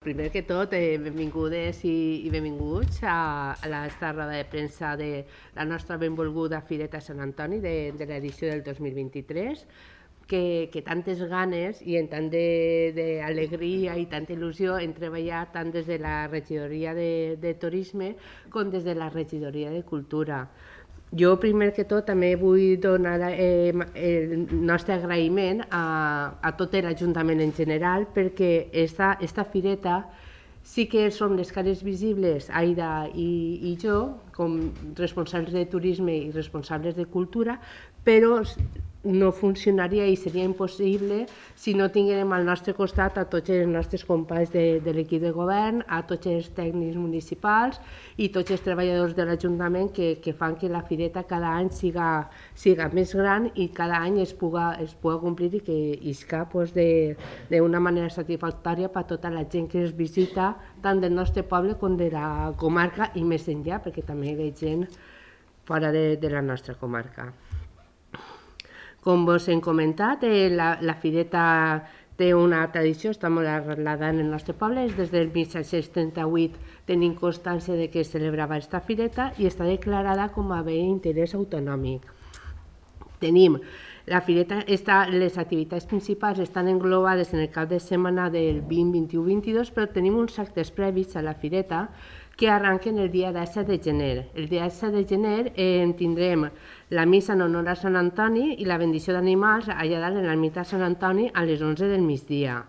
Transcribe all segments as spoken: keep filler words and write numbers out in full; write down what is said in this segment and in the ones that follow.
Primer que tot, eh, benvingudes i, i benvinguts a, a l'esta roda de premsa de la nostra benvolguda Fireta Sant Antoni de, de l'edició del dos mil vint-i-tres, que, que tantes ganes i en tant d'alegria i tanta il·lusió hem treballat tant des de la regidoria de, de Turisme com des de la regidoria de Cultura. Jo, primer que tot, també vull donar eh, el nostre agraïment a, a tot l'Ajuntament en general, perquè esta, esta fireta sí que som les cares visibles, Aida i, i jo, com responsables de turisme i responsables de cultura, però no funcionaria i seria impossible si no tinguérem al nostre costat a tots els nostres companys de, de l'equip de govern, a tots els tècnics municipals i tots els treballadors de l'Ajuntament que, que fan que la fireta cada any siga, siga més gran i cada any es puga, es puga complir i que isca pues, d'una manera satisfactòria per a tota la gent que es visita tant del nostre poble com de la comarca i més enllà, perquè també hi ha gent fora de, de la nostra comarca. Com vos hem comentat, eh, la, la fireta té una tradició, està molt arrelada en el nostre poble, és des del mil set-cents trenta-vuit tenim constància de que es celebrava aquesta fireta i està declarada com a bé d'interès autonòmic. Tenim la fireta, esta, les activitats principals estan englobades en el cap de setmana del vint, vint-i-u, vint-i-dos, però tenim uns actes previs a la fireta que arrenquen el dia disset de gener. El dia disset de gener eh, tindrem la missa en honor a Sant Antoni i la bendició d'animals allà dalt en l'ermita Sant Antoni a les onze del migdia.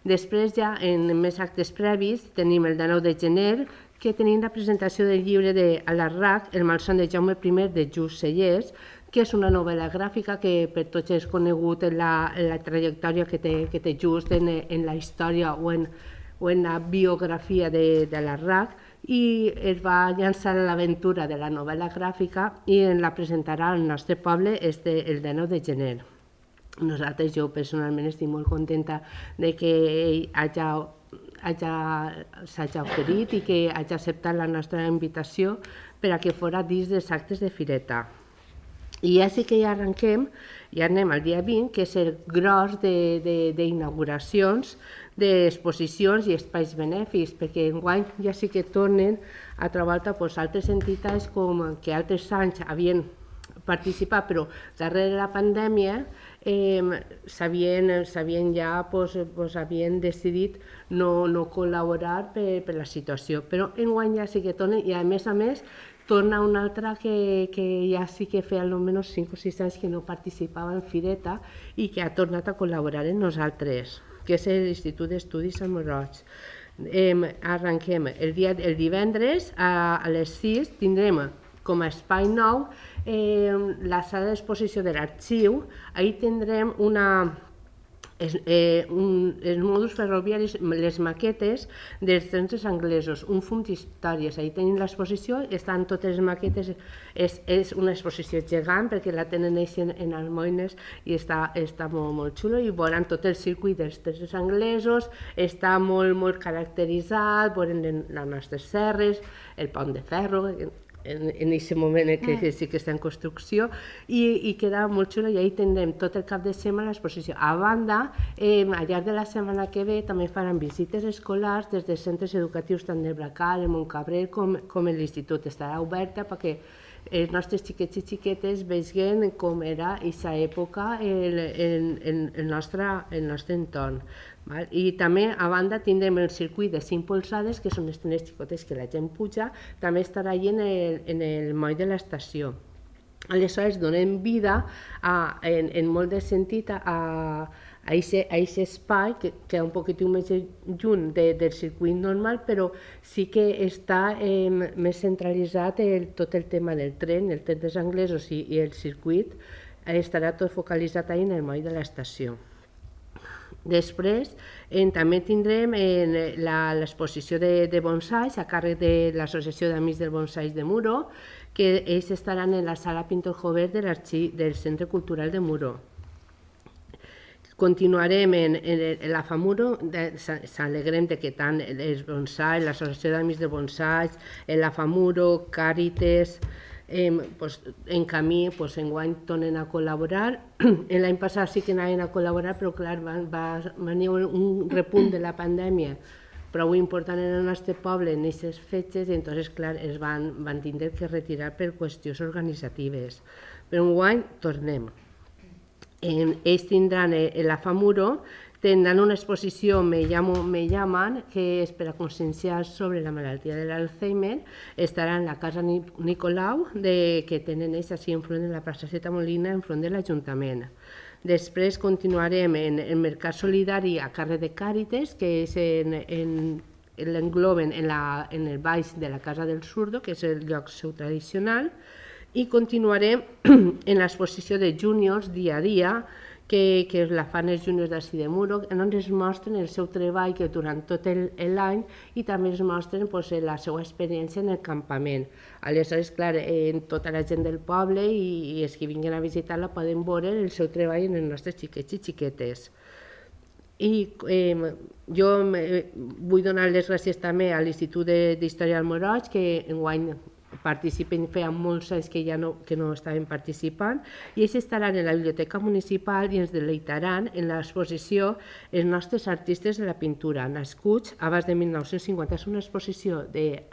Després ja en més actes previs tenim el dinou de gener que tenim la presentació del llibre de Alarrach, El malson de Jaume primer de Just Cellers, que és una novel·la gràfica que per tots és conegut en la, en la trajectòria que té, que té Just en, en la història o en, o en la biografia de, de Alarrach, i es va llançar a l'aventura de la novel·la gràfica i en la presentarà al nostre poble este, el dinou de gener. Nosaltres, jo personalment estic molt contenta de que ell hagi, hagi, s'hagi oferit i que hagi acceptat la nostra invitació per a que fora dins dels actes de fireta. I ja sí que ja arrenquem, ja anem al dia vint, que és el gros d'inauguracions, d'exposicions i espais benèfics, perquè enguany ja sí que tornen a trobar pues, altres entitats com que altres anys havien participat, però darrere la pandèmia eh, s'havien ja pues, pues, havien decidit no, no col·laborar per, per la situació, però enguany ja sí que tornen i a més a més torna una altra que, que ja sí que feia almenys cinc o sis anys que no participava en fireta i que ha tornat a col·laborar amb nosaltres, que és l'Institut d'Estudis Sant Roig. Eh, arrenquem el, dia, el divendres a, a les sis tindrem com a espai nou eh, la sala d'exposició de l'arxiu. Ahir tindrem una Es, eh, un, els mòduls ferroviaris, les maquetes dels trens anglesos, un fum d'històries. Ahir tenim l'exposició, estan totes les maquetes, és, és una exposició gegant perquè la tenen ells en, en almoines i està, està molt, molt xulo i veuran tot el circuit dels trens anglesos, està molt, molt caracteritzat, veuran les nostres serres, el pont de ferro, en aquest moment que, que sí que està en construcció i, i queda molt xulo i ahir tindrem tot el cap de setmana l'exposició. A banda, eh, al llarg de la setmana que ve també faran visites escolars des dels centres educatius tant del Bracal, el Montcabrel com, com l'Institut. Estarà oberta perquè els nostres xiquets i xiquetes vegin com era aquesta època el, el, el, el, nostre, el nostre entorn. Val? I també a banda tindrem el circuit de cinc polzades, que són les tenes xicotes que la gent puja, també estarà allà en el, en el moll de l'estació. Aleshores donem vida a, en, en molt de sentit a, a aquest espai que queda un poquitiu més lluny de, del circuit normal, però sí que està eh, més centralitzat el, tot el tema del tren, el tren dels anglesos i, i el circuit, eh, estarà tot focalitzat ahí en el moll de l'estació. Després eh, també tindrem eh, l'exposició de, de bonsais a càrrec de l'Associació d'Amics del Bonsais de Muro, que ells estaran en la sala Pintor Jover de del Centre Cultural de Muro. Continuarem en, en, en la FAMURO, s'alegrem de que tant els bonsais, l'Associació d'Amics de Bonsais, la FAMURO, Càritas, Eh, pues, en camí, pues, enguany tornen a col·laborar. L'any passat sí que anaven a col·laborar, però clar, va, va venir un repunt de la pandèmia prou important en el nostre poble en aquestes fetges, i entonces, clar, es van, van tindre que retirar per qüestions organitzatives. Però enguany tornem. Eh, ells tindran eh, la Famuro, tindran una exposició Me llamo, me llaman, que és per a conscienciar sobre la malaltia de l'Alzheimer. Estarà en la Casa Nicolau, de, que tenen ells així enfront de la plaça Seta Molina, enfront de l'Ajuntament. Després continuarem en el Mercat Solidari a càrrec de Càritas, que és en, en, l'engloben en, la, en el baix de la Casa del Surdo, que és el lloc seu tradicional, i continuarem en l'exposició de júniors dia a dia, que, que la fan els júniors d'Ací de Muro, on ens mostren el seu treball que durant tot l'any i també ens mostren pues, la seva experiència en el campament. Aleshores, clar, eh, tota la gent del poble i, i els que vinguin a visitar-la poden veure el seu treball en els nostres xiquets i xiquetes. I eh, jo eh, vull donar les gràcies també a l'Institut d'Història del Moroig, que enguany participen, feien molts anys que ja no, que no estaven participant, i ells estaran en la Biblioteca Municipal i ens deleitaran en l'exposició Els nostres artistes de la pintura, nascuts abans de mil nou-cents cinquanta. És una exposició de,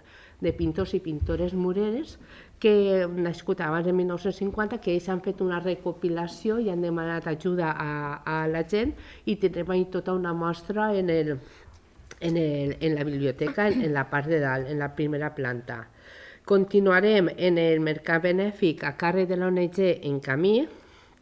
de pintors i pintores mureres que nascut abans de mil nou-cents cinquanta, que ells han fet una recopilació i han demanat ajuda a, a la gent, i tindrem ahí tota una mostra en, el, en, el, en la biblioteca, en, en la part de dalt, en la primera planta. Continuarem en el mercat benèfic a càrrec de l'O N G En Camí,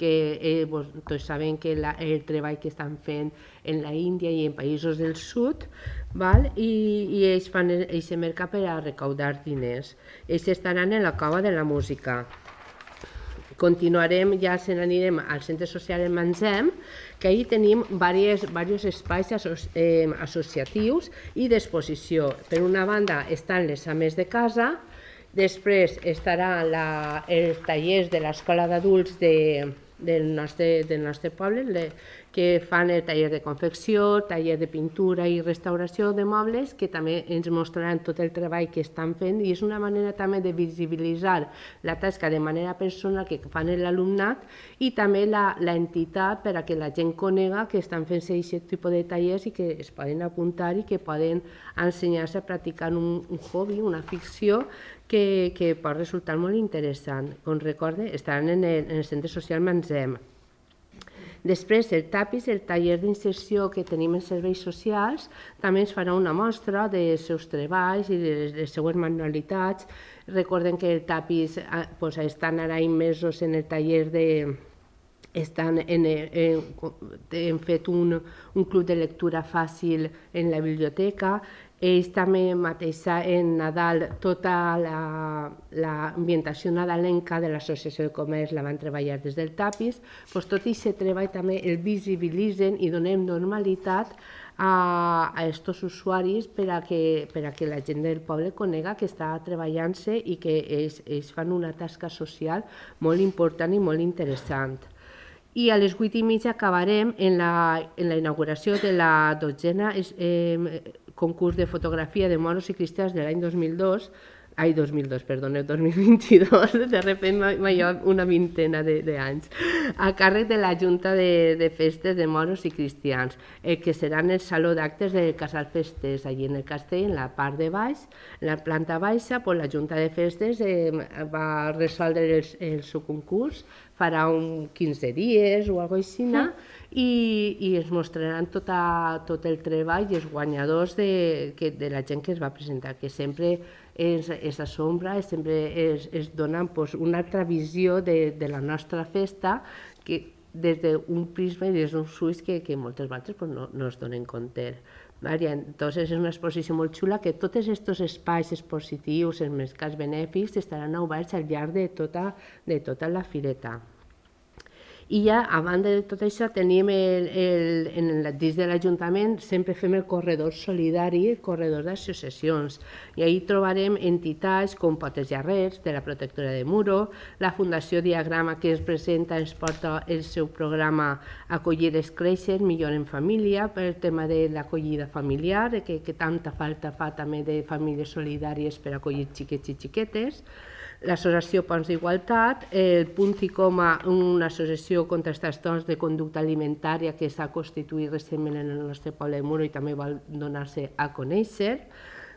que eh, vos, tots sabem que la, el treball que estan fent en la Índia i en països del sud, val? I, i ells fan aquest mercat per a recaudar diners. Ells estaran en la Cova de la Música. Continuarem, ja se n'anirem al Centre Social El Manzem, que ahir tenim diversos espais eh, associatius i d'exposició. Per una banda estan les ames de casa, després estarà la, els tallers de l'Escola d'Adults de, del, nostre, del nostre poble, le, que fan el taller de confecció, taller de pintura i restauració de mobles, que també ens mostraran tot el treball que estan fent, i és una manera també de visibilitzar la tasca de manera personal que fan l'alumnat, i també l'entitat per a que la gent conega que estan fent aquest tipus de tallers i que es poden apuntar i que poden ensenyar-se a practicar un, un hobby, una ficció, que, que pot resultar molt interessant. Com recorde, estaran en el, en el Centre Social Manzem. Després, el TAPIS, el taller d'inserció que tenim en serveis socials, també ens farà una mostra dels seus treballs i de les, les seues manualitats. Recorden que el TAPIS pues, estan ara immersos en el taller de... Estan en, en, hem fet un, un club de lectura fàcil en la biblioteca. Ells també mateix en Nadal tota l'ambientació la, nadalenca de l'Associació de Comerç la van treballar des del TAPIS. Pues tot aquest treball també el visibilitzen i donem normalitat a aquests usuaris per a, que, per a que la gent del poble conega que està treballant-se i que ells, ells fan una tasca social molt important i molt interessant. I a les vuit i mitja acabarem en la, en la inauguració de la dotzena eh, concurs de fotografia de moros i cristians de l'any dos mil dos, ai, dos mil dos, perdoneu, dos mil vint-i-dos, de sobte m'ha llevat una vintena d'anys, a càrrec de la Junta de, de Festes de Moros i Cristians, eh, que serà en el Saló d'Actes del Casal Festes, allí en el castell, en la part de baix, en la planta baixa, pues, la Junta de Festes eh, va resoldre el, el seu concurs, farà un quinze dies o alguna cosa així, mm. i, i es mostraran tota, tot el treball i els guanyadors de, que, de la gent que es va presentar, que sempre es, es assombra, sempre es, es dona pues, una altra visió de, de la nostra festa que des d'un prisma i des d'uns ulls que, que moltes vegades pues, no, no es donen compte. Entonces és una exposició molt xula que tots aquests espais expositius, els mercats benèfics, estaran oberts al llarg de tota, de tota la fireta. I ja, a banda de tot això, tenim el, el, en el, dins de l'Ajuntament sempre fem el corredor solidari, el corredor d'associacions. I ahir trobarem entitats com Potes Llarrets, de la Protectora de Muro, la Fundació Diagrama, que ens presenta, ens porta el seu programa Acollir és créixer, millor en família, per el tema de l'acollida familiar, que, que tanta falta fa també de famílies solidàries per acollir xiquets i xiquetes. l'associació Ponts d'Igualtat, el Punt i Coma, una associació contra els trastorns de conducta alimentària que s'ha constituït recentment en el nostre poble de Muro i també vol donar-se a conèixer,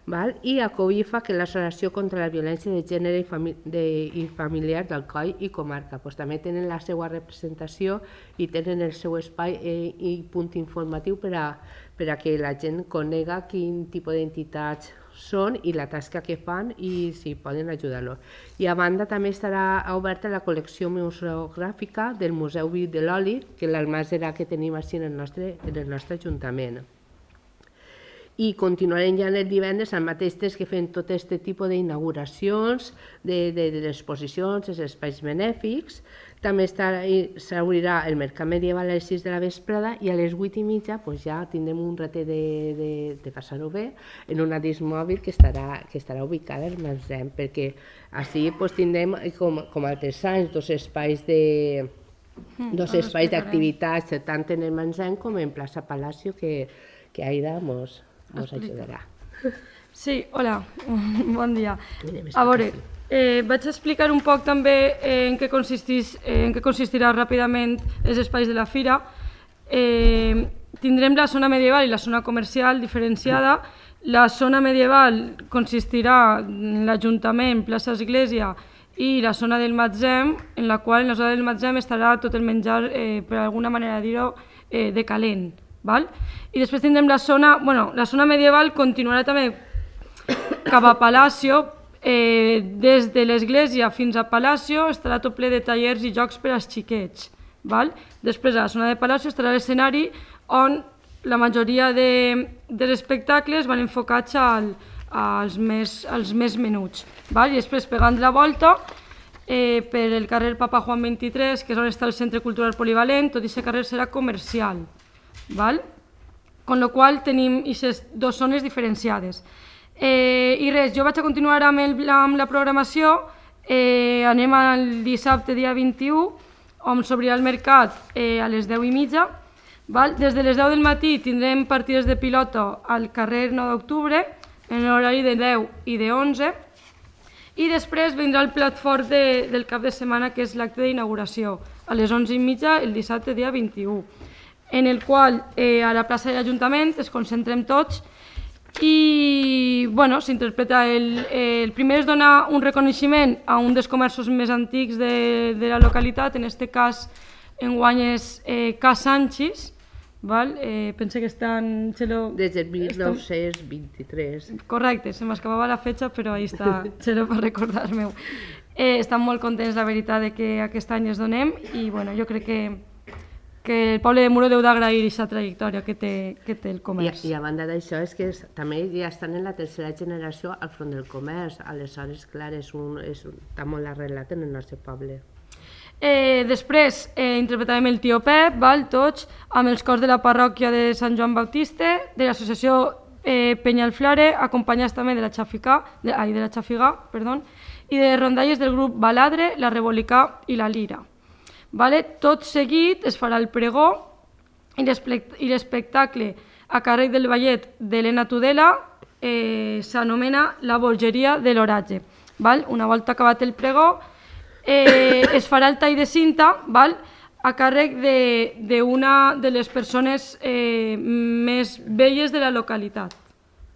val? I a COIFA, que és l'Associació contra la Violència de Gènere i, fami de, i Familiar d'Alcoi i Comarca. Pues també tenen la seva representació i tenen el seu espai eh, i punt informatiu per a, per a que la gent conega quin tipus d'entitats són i la tasca que fan i si poden ajudar-los. I a banda també estarà oberta la col·lecció museogràfica del Museu Viu de l'Oli, que és l'almàssera que tenim així en el nostre, en el nostre ajuntament. I continuarem ja el divendres al mateix temps que fem tot aquest tipus d'inauguracions, de, de, de l'exposicions, els espais benèfics. També s'obrirà el mercat medieval a les sis de la vesprada i a les vuit i mitja pues, ja tindrem un ratet de, de, de passar-ho bé en una disc mòbil que estarà, que estarà ubicada al magatzem, perquè així pues, tindrem, com, com altres anys, dos espais de dos espais d'activitats, tant en el magatzem com en plaça Palacio, que, que Aida mos, mos ajudarà. Sí, hola, bon dia. A veure, eh, vaig explicar un poc també en què, consistís, en què consistirà ràpidament els espais de la fira. Eh, tindrem la zona medieval i la zona comercial diferenciada. La zona medieval consistirà en l'Ajuntament, plaça Església i la zona del magatzem, en la qual en la zona del magatzem estarà tot el menjar, eh, per alguna manera dir-ho, eh, de calent. Val? I després tindrem la zona, bueno, la zona medieval continuarà també cap a Palacio, eh, des de l'església fins a Palacio estarà tot ple de tallers i jocs per als xiquets. Val? Després a la zona de Palacio estarà l'escenari on la majoria de, dels espectacles van enfocats al, als, més, als més menuts. Val? I després pegant la volta eh, per el carrer Papa Juan vint-i-tres, que és on està el Centre Cultural Polivalent, tot aquest carrer serà comercial. Val? Con lo qual tenim aquestes dues zones diferenciades. Eh, I res, jo vaig a continuar amb, el, amb la programació. Eh, anem al dissabte, dia vint-i-u, on s'obrirà el mercat eh, a les deu i mitja. Val? Des de les deu del matí tindrem partides de pilota al carrer nou d'octubre, en l'horari de deu i de onze. I després vindrà el plat fort de, del cap de setmana, que és l'acte d'inauguració, a les onze i mitja, el dissabte, dia vint-i-u. En el qual eh, a la plaça de l'Ajuntament es concentrem tots i bueno, s'interpreta el, el primer es dona un reconeixement a un dels comerços més antics de, de la localitat, en aquest cas enguany és eh, Ca Sanchis, val? Eh, pense que estan... Xelo, des del mil nou-cents vint-i-tres. Correcte, se m'escapava la fetxa, però ahí està, Xelo, per recordar-me-ho. Eh, estan molt contents, la veritat, de que aquest any es donem i bueno, jo crec que que el poble de Muro deu d'agrair aquesta trajectòria que té, que té el comerç. I, I a banda d'això és que és, també ja estan en la tercera generació al front del comerç, aleshores, clar, és un, és un, està molt arrelat en el nostre poble. Eh, després eh, interpretarem el Tio Pep, val, tots, amb els cors de la parròquia de Sant Joan Baptista, de l'associació eh, Penyalflare, acompanyats també de la Xafigà, de, ai, de la Xafigà, perdó, i de rondalles del grup Baladre, la Rebolicà i la Lira. Vale? Tot seguit es farà el pregó i l'espectacle a càrrec del ballet d'Helena Tudela eh, s'anomena La Bolgeria de l'Oratge. Una volta acabat el pregó eh, es farà el tall de cinta, val? A càrrec d'una de, de les persones eh, més velles de la localitat.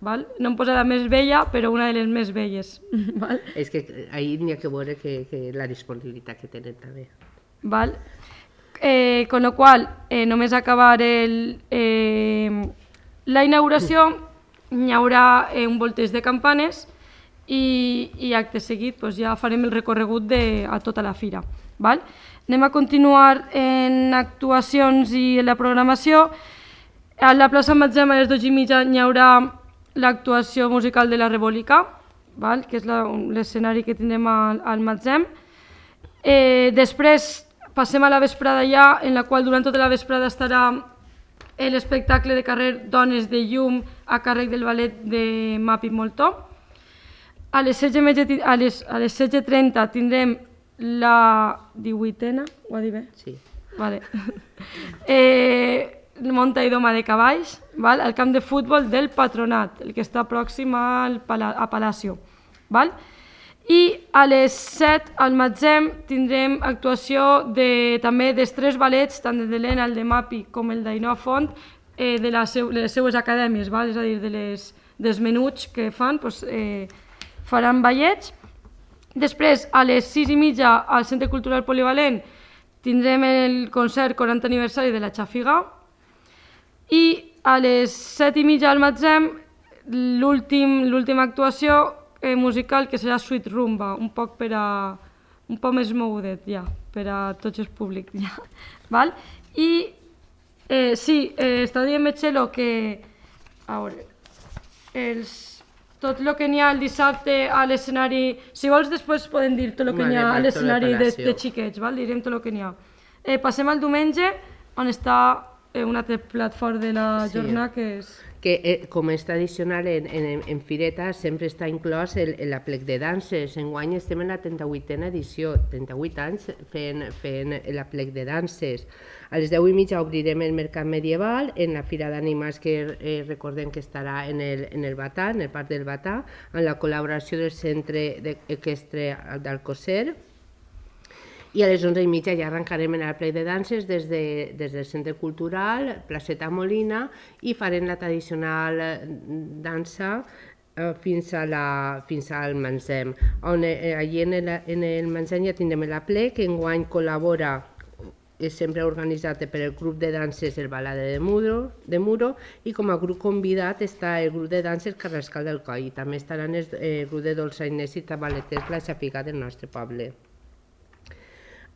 Val? No em posarà més vella, però una de les més velles. Val? És que ahir n'hi ha que veure que, que la disponibilitat que tenen també. Val? Eh, con lo qual, eh, només acabar el, eh, la inauguració, hi haurà eh, un volteig de campanes i, i acte seguit pues, ja farem el recorregut de, a tota la fira. Val? Anem a continuar en actuacions i en la programació. A la plaça Magatzem a les dues i mitja hi haurà l'actuació musical de la Rebolicà, val? Que és l'escenari que tindrem al, al Magatzem. Eh, després passem a la vesprada ja, en la qual durant tota la vesprada estarà l'espectacle de carrer Dones de Llum a càrrec del ballet de Mapi Moltó. A les setze i trenta tindrem la divuitena, ho ha dit bé? Sí. Vale. eh, Monta i doma de cavalls, val? Al camp de futbol del Patronat, el que està pròxim al Pala a Palacio. Val? I a les set al Matzem tindrem actuació de, també dels tres ballets, tant el de l'Ena, el de Mapi com el d'Ainoa Font, eh, de, la seu, de les seues acadèmies, val? És a dir, de les, dels menuts que fan, doncs, eh, faran ballets. Després, a les sis i mitja al Centre Cultural Polivalent tindrem el concert quaranta aniversari de la Xafiga i a les set i mitja al Matzem l'última actuació eh, musical, que serà Sweet Rumba, un poc per a... un poc més mogudet, ja, per a tots els públics, ja. Val? I eh, sí, eh, està dient Metxelo que... A veure... Els... tot el que n'hi ha el dissabte a l'escenari... Si vols, després podem dir tot el que n'hi ha a l'escenari de, de xiquets, val? Direm tot el que n'hi ha. Eh, passem al diumenge, on està eh, un altre plat fort de la sí. jornada, que és... que eh, com és tradicional en, en, en Fireta sempre està inclòs el, el aplec de danses. Enguany estem en la trenta-vuitena edició, trenta-vuit anys fent, fent l'aplec de danses. A les deu i mitja obrirem el Mercat Medieval en la Fira d'Animals que eh, recordem que estarà en el, en el Batà, en el Parc del Batà, amb la col·laboració del Centre Equestre d'Alcosser. I a les onze i mitja ja arrencarem en el ple de danses des, de, des del Centre Cultural, Placeta Molina, i farem la tradicional dansa eh, fins, a la, fins al Matzem. On, eh, allí en el, en el Matzem ja tindrem el ple, que enguany col·labora, és sempre organitzat per el grup de danses El Balade de Muro, de Muro, i com a grup convidat està el grup de danses Carrascal del Coll, i també estaran el, el grup de dolçainers i tabaleters La Xafiga del nostre poble.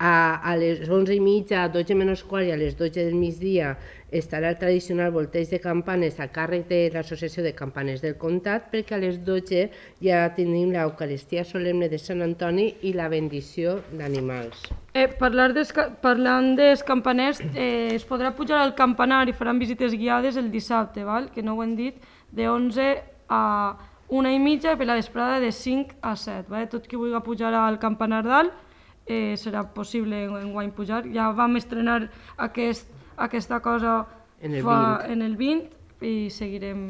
A, a les onze i mitja, dotze menys quart i a les dotze del migdia estarà el tradicional volteig de campanes a càrrec de l'Associació de Campanes del Comtat, perquè a les dotze ja tenim l'Eucaristia solemne de Sant Antoni i la bendició d'animals. Eh, parlar des, parlant dels campaners, eh, es podrà pujar al campanar i faran visites guiades el dissabte, val? Que no ho hem dit, de onze a una i mitja i per la vesprada de cinc a set. Val? Tot qui vulgui pujar al campanar dalt, Eh, serà possible enguany pujar. Ja vam estrenar aquest, aquesta cosa en el, fa, en el vint i seguirem,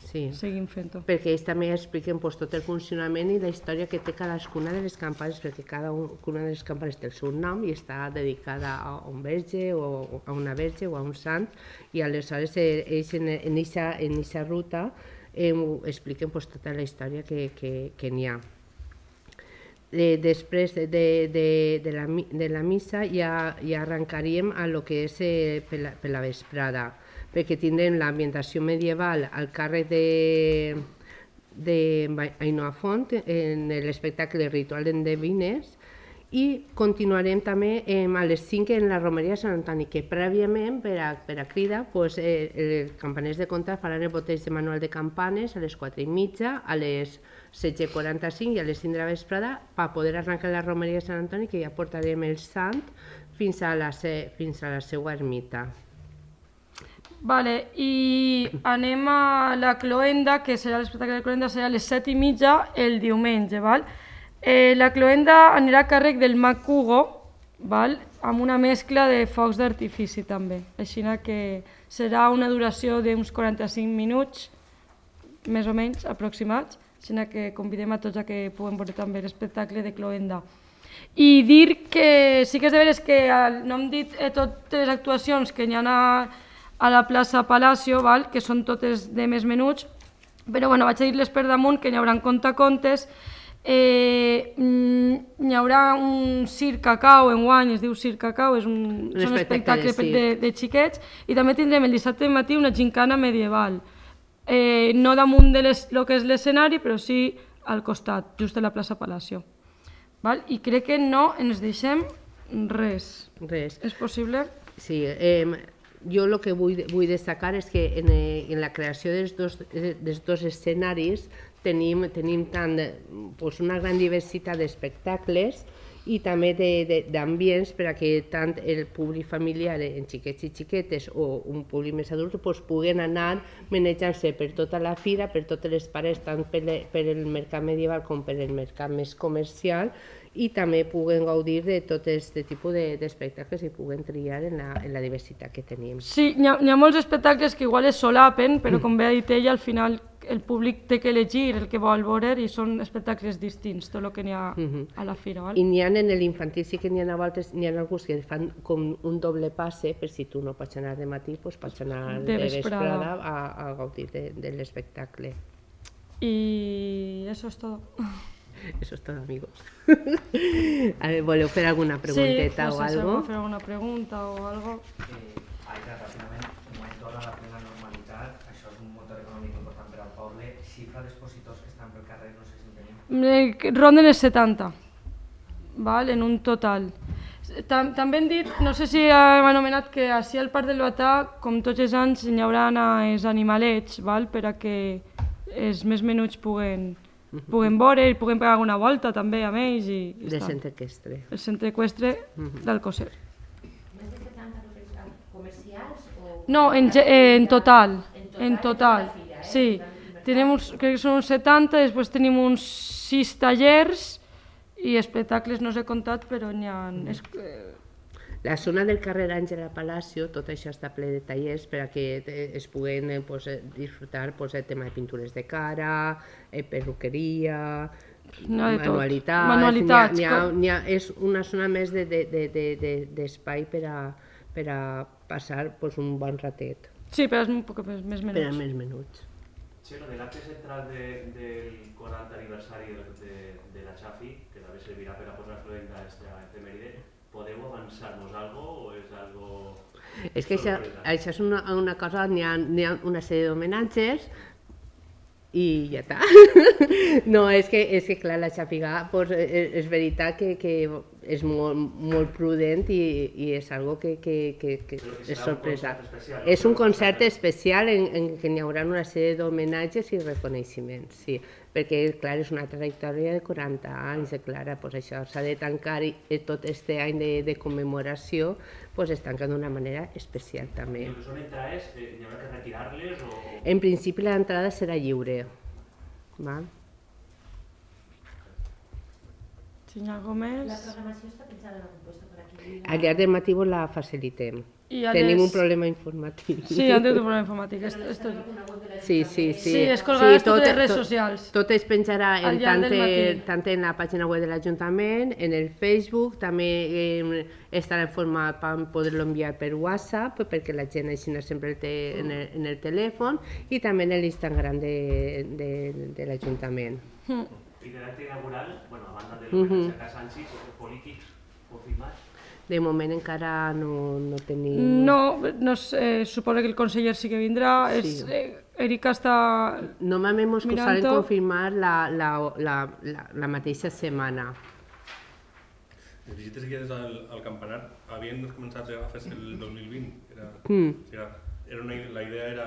sí. seguim fent-ho. Perquè ells també expliquen pues, tot el funcionament i la història que té cadascuna de les campanes, perquè cada una de les campanes té el seu nom i està dedicada a un verge o a una verge o a un sant, i aleshores ells en aquesta ruta eh, expliquen pues, tota la història que, que, que n'hi ha. Eh, després de, de, de, de, la, de la missa ja, ja arrencaríem a lo que és eh, per, la, per la vesprada, perquè tindrem l'ambientació medieval al càrrec de, de Ainoa Font en l'espectacle Ritual d'Endevines, i continuarem també eh, a les cinc en la romeria de Sant Antoni, que prèviament per a, per a crida pues, eh, els campaners de Comtat faran el boteig de manual de campanes a les quatre i mitja, a les setze i quaranta-cinc i a les cinc de la vesprada per poder arrencar la romeria de Sant Antoni, que ja portarem el sant fins a la, se, fins a la seva ermita. Vale, i anem a la cloenda, que serà l'espectacle de cloenda, serà a les set i mitja el diumenge, val? Eh, la cloenda anirà a càrrec del Mag Hugo, val? Amb una mescla de focs d'artifici també, així que serà una duració d'uns quaranta-cinc minuts, més o menys aproximats, així que convidem a tots a que puguem veure també l'espectacle de cloenda. I dir que sí que és de veres que no hem dit eh, totes les actuacions que hi ha a, a la plaça Palacio, val? Que són totes de més menuts, però bueno, vaig a dir-les per damunt, que n'hi haurà contacontes. Eh, hi haurà un circ cacau enguany, es diu circ cacau, és un, un són espectacles de, de, de xiquets, i també tindrem el dissabte matí una gincana medieval. Eh, no damunt de les, lo que és l'escenari, però sí al costat, just a la plaça Palacio. Val? I crec que no ens deixem res. Res. És possible? Sí, eh, jo el que vull, vull destacar és que en, en la creació dels dos, dels dos escenaris tenim, tenim tant, pues, una gran diversitat d'espectacles i també d'ambients per a que tant el públic familiar en xiquets i xiquetes o un públic més adult pues, puguen anar manejant-se per tota la fira, per totes les parets, tant per, per el mercat medieval com per el mercat més comercial, i també puguen gaudir de tot aquest tipus d'espectacles i puguen triar en la, en la diversitat que tenim. Sí, hi ha, hi ha molts espectacles que igual es solapen, però com bé ha dit ella, al final el públic té que elegir el que vol veure i són espectacles distints, tot el que n'hi ha a la fira. I n'hi ha en l'infantil, sí que n'hi ha voltes, n'hi ha alguns que fan com un doble passe, per si tu no pots anar de matí, pots anar de vesprada a gaudir de l'espectacle. Y eso es todo. Eso es todo, amigos. A ver, ¿voleu fer alguna pregunteta o algo? Sí, no sé si voleu fer alguna pregunta o algo. Aida, ràpidament, en moment torna a la plena normalitat, això és un motor econòmic important per al poble, xifra d'expositors que estan pel carrer, no sé si en tenim. Ronden els setanta, val? En un total. També hem dit, no sé si hem anomenat que així al Parc del Batà, com tots els anys, hi haurà els animalets, val? Per a que els més menuts puguen puguen veure i puguen pegar una volta també amb ells i de centre equestre. El centre equestre d'Alcosser. Més de setanta comercials? No, en total. En total, sí. Crec que són uns setanta, després tenim uns sis tallers i espectacles no s'he comptat, però n'hi ha... La zona del carrer Àngela Palacio, tot això està ple de tallers per a que es puguen disfrutar el tema de pintures de cara, perruqueria, manualitats. És una zona més d'espai per a passar un bon ratet. Sí, però és un poc més menuts. Per a més menuts. Sí, l'acte central del quaranta aniversari de la Xafi, que també servirà per a posar-lo en efemèride, podeu avançar-nos algo o és algo... És que això és una cosa, n'hi ha una sèrie d'homenatges i ja està. No, és que clar, la Xàfiga és veritat que és molt prudent i és algo que és sorpresa. És un concert especial en què hi haurà una sèrie d'homenatges i reconeixements, sí. Perquè, clar, és una trajectòria de quaranta anys, clar, això s'ha de tancar i tot aquest any de commemoració es tanca d'una manera especial també. I són entrades, hi haurà que retirar-les o...? En principi l'entrada serà lliure. Si hi ha alguna cosa més... La programació està pensada en algun lloc per aquí? Al llarg del matí la facilitem. Tenim un problema informàtic. Sí, han tingut un problema informàtic. Sí, sí, sí. Sí, es colgarà totes les redes socials. Tot es penjarà tant en la pàgina web de l'Ajuntament, en el Facebook, també estarà en format per poder-lo enviar per WhatsApp, perquè la gent així sempre el té en el telèfon, i també en l'Instagram de l'Ajuntament. I de l'acte inaugural, a banda de l'homenatge a Sanchis, polítics confirmats? De moment encara no tenim... No, suposo que el conseller sí que vindrà. Erika està mirant-ho. Normalment ens solen confirmar la mateixa setmana. Les visites guiades al campanar havien començat a fer-se el dos mil vint. La idea era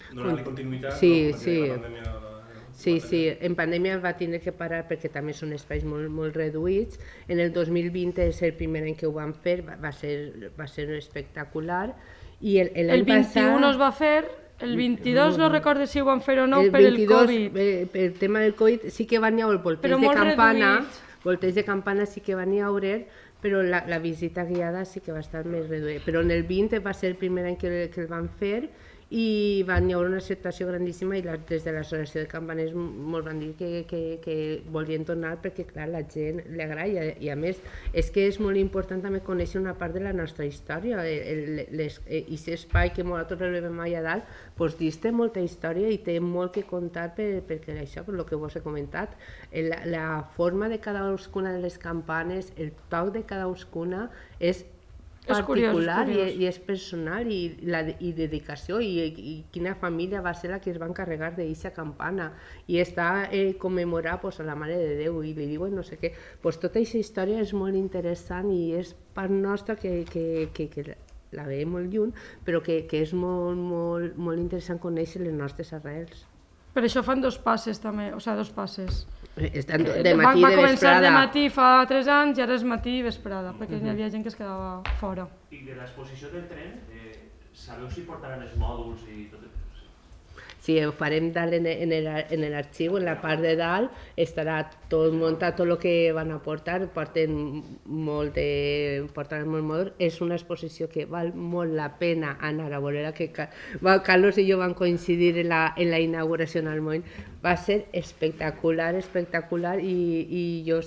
donar-li continuïtat perquè la pandèmia... Sí, sí, en pandèmia va tindre que parar perquè també són espais molt reduïts. En el dos mil vint és el primer any que ho van fer, va ser espectacular. El vint-i-u no es va fer, el vint-i-dos no recordo si ho van fer o no per el Covid. Per el tema del Covid sí que van haver volteig de campana, volteig de campana sí que van haver, però la visita guiada sí que va estar més reduïda. Però en el vint va ser el primer any que el van fer i van haver una acceptació grandíssima i des de l'associació de campaners molt van dir que volien tornar perquè clar, la gent li agrada i a més és que és molt important també conèixer una part de la nostra història i aquest espai que nosaltres rebem allà dalt, doncs dins té molta història i té molt que contar perquè això, per el que vos he comentat, la forma de cadascuna de les campanes, el toc de cadascuna és particular i és personal i dedicació i quina família va ser la que es va encarregar d'aquesta campana i està commemorar a la Mare de Déu i li diuen no sé què. Tota aquesta història és molt interessant i és part nostra que la veiem molt lluny però que és molt interessant conèixer les nostres arrels. Per això fan dos passes també, o sigui, dos passes. De matí i de vesprada. Va començar de matí fa tres anys i ara és matí i vesprada, perquè hi havia gent que es quedava fora. I de l'exposició del tren, sabeu si portaran els mòduls i tot això? Si ho farem dalt en, en l'arxiu, en la part de dalt, estarà tot muntat, tot el que van a portar, porten molt de... portaran molt motor. És una exposició que val molt la pena anar a veure, que Carlos i jo vam coincidir en la, en la inauguració en el moment. Va ser espectacular, espectacular, i, i jo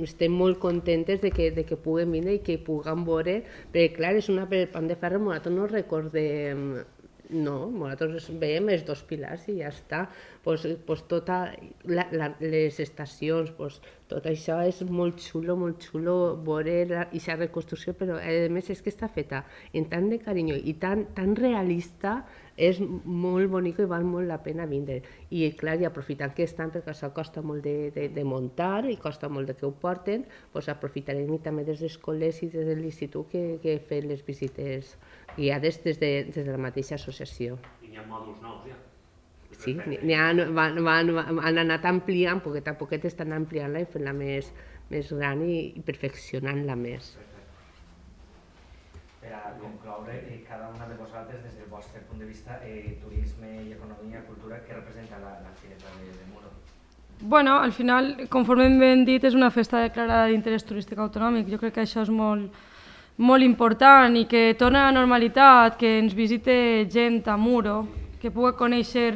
estem molt contentes de que, de que puguem vindre i que puguem veure, perquè clar, és una per Pont de Ferro, nosaltres no recordem. No, nosaltres veiem els dos pilars i ja està. Pues, pues tota la, la, les estacions, pues, tot això és molt xulo, molt xulo veure aquesta reconstrucció, però a més és que està feta amb tant de carinyo i tan, tan realista, és molt bonic i val molt la pena vindre. I clar, i aprofitant que estan, perquè això costa molt de, de, de muntar i costa molt de que ho porten, pues aprofitarem i també des dels col·legis i des de l'institut que, que fem les visites guiades des de, des de la mateixa associació. I hi ha mòduls nous, ja? Sí, n'hi ha, van, van, han anat ampliant, poquet a poquet estan ampliant-la i fent-la més, més gran i, i perfeccionant-la més. Per a concloure, eh, cada una de vosaltres, des del vostre punt de vista, eh, turisme i economia, cultura, què representa la, la Fireta de, de Muro? Bueno, al final, conforme hem dit, és una festa declarada d'interès turístic autonòmic. Jo crec que això és molt, molt important i que torna a la normalitat, que ens visite gent a Muro, que pugui conèixer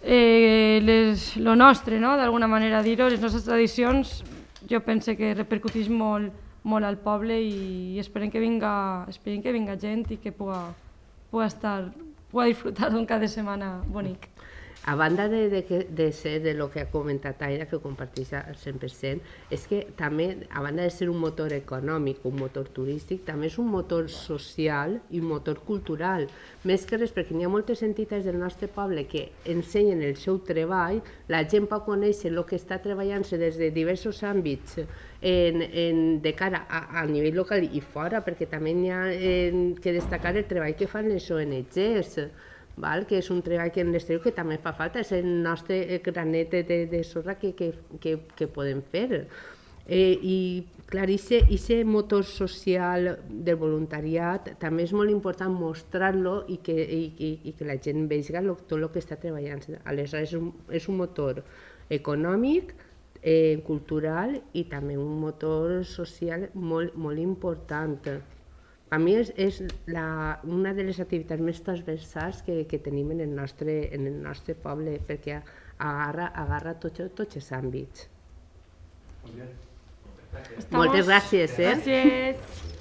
eh, les, lo nostre, no? D'alguna manera dir-ho, les nostres tradicions, jo penso que repercuteix molt, molt al poble i esperem que vinga, esperem que vinga gent i que pugui, pugui estar, pugui disfrutar d'un cap de setmana bonic. A banda de, de, de ser de lo que ha comentat Aida, que comparteix al cent per cent, és que també, a banda de ser un motor econòmic, un motor turístic, també és un motor social i un motor cultural. Més que res, perquè hi ha moltes entitats del nostre poble que ensenyen el seu treball, la gent pot conèixer el que està treballant-se des de diversos àmbits en, en, de cara a, a nivell local i fora, perquè també hi ha en, que destacar el treball que fan les O N Ges, val? Que és un treball que en l'exterior que també fa falta, és el nostre granet de, de sorra que, que, que, que podem fer. Eh, I clar, aquest motor social del voluntariat també és molt important mostrar-lo i, que, i, i, i que la gent vegi tot el que està treballant. Aleshores és un, és un motor econòmic, eh, cultural i també un motor social molt, molt important. A mi és, és la, una de les activitats més transversals que, que tenim en el, nostre, en el nostre poble, perquè agarra, agarra tots, tots els àmbits. Molt bé. Moltes gràcies. Eh? Gràcies.